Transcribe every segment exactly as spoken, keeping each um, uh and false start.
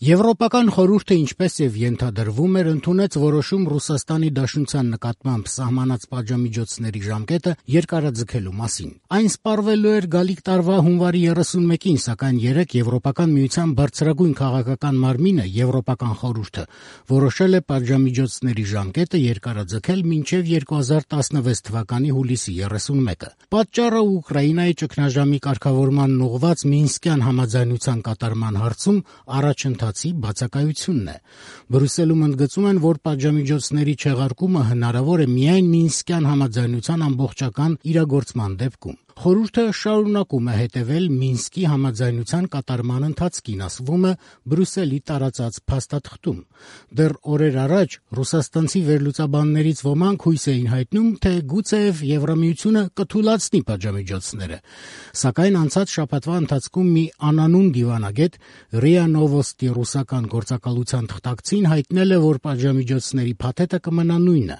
Եվրոպական խորհուրդը, ինչպես եւ ենթադրվում էր, ընդունեց որոշում Ռուսաստանի Դաշնության նկատմամբ սահմանած պատժամիջոցների ժամկետը երկարաձգելու մասին։ Այն սպառվելու էր գալիք տարվա հունվարի երեսունմեկին, սակայն երեկ Եվրոպական միության բարձրագույն քաղաքական մարմինը՝ Եվրոպական խորհուրդը, որոշել է պատժամիջոցների ժամկետը երկարաձգել մինչեւ երկու հազար տասնվեց թվականի հուլիսի երեսունմեկը։ Պատճառը Ուկրաինայի ճգնաժամի կարգավորման ուղղված Մինսկյան համաձայնության կատարման հարցում առաջընթացի բացակայությունն է։ Բրյուսելում ընդգծում են, որ պատժամիջոցների չեղարկումը հնարավոր է միայն Մինսկյան համաձայնության ամբողջական իրագործման դեպքում։ Խորհուրդը շարունակում է հետևել Մինսկի համաձայնության կատարման ընթացքին, ասվում է Բրյուսելի տարածած փաստաթղթում։ Դեռ օրեր առաջ ռուսաստանցի վերլուծաբաններից ոմանք հույս էին հայտնում, թե գուցեև Եվրամիությունը կթույլատնի պատժամիջոցները։ Սակայն անցած շաբաթվա ընթացքում մի անանուն դիվանագետ ՌԻԱ Նովոստի ռուսական գործակալության թղթակցին հայտնել է, որ պատժամիջոցների փաթեթը կմնա նույնը։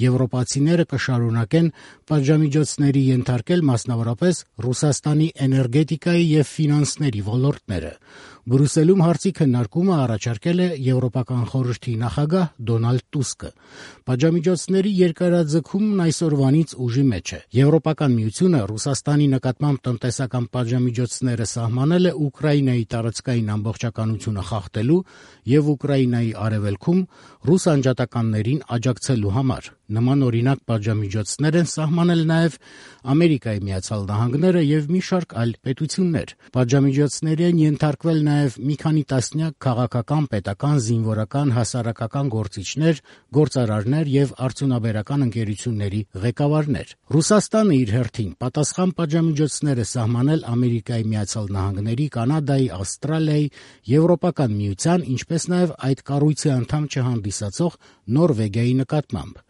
Եվրոպացիները կշարունակեն պատժամիջոցների ենթարկել մասնավորապես Ռուսաստանի էներգետիկայի եւ ֆինանսների ոլորտները։ Բրյուսելում հարցի քննարկումը առաջարկել է Եվրոպական խորհրդի նախագահ Դոնալդ Տուսկը։ Պատժամիջոցների երկարաձգումն այսօրվանից ուժի մեջ է։ Եվրոպական միությունը Ռուսաստանի նկատմամբ տնտեսական պատժամիջոցները սահմանել է Ուկրաինայի տարածքային ամբողջականությունը խախտելու եւ Ուկրաինայի արևելքում ռուս անջատականներին աջակցելու համար։ Նման օրինակ պատժամիջոցներ են սահմանել նաեւ Ամերիկայի Միացյալ Նահանգները եւ մի շարք այլ պետություններ։ Պատժամիջոցների են ենթարկվել նաեւ մի քանի տասնյակ քաղաքական, պետական, զինվորական, հասարակական գործիչներ, գործարարներ եւ արդյունաբերական ընկերությունների ղեկավարներ։ Ռուսաստանը իր հերթին պատասխան պատժամիջոցներ է սահմանել Ամերիկայի Միացյալ Նահանգների, Կանադայի, Ավստրալիայի, Եվրոպական միության, ինչպես նաեւ այդ կառույցի անդամ չհանդիսացող Նորվեգիայի նկատմամբ։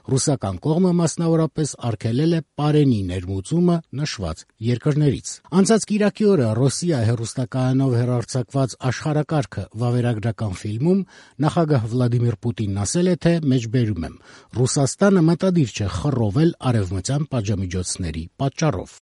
Ռուսական կողմը մասնավորապես արգելել է պարենի ներմուծումը նշված երկրներից։ Անցած կիրակի օրը «Ռոսիա» հեռուստակայանով հեռարձակված «Աշխարհակարգը» վավերագրական ֆիլմում նախագահ Վլադիմիր Պուտինն ասել է, թե մեջբերում եմ. «Ռուսաստանը մտադիր չէ խռովել արևմտյան պատժամիջոցների պատճառով»։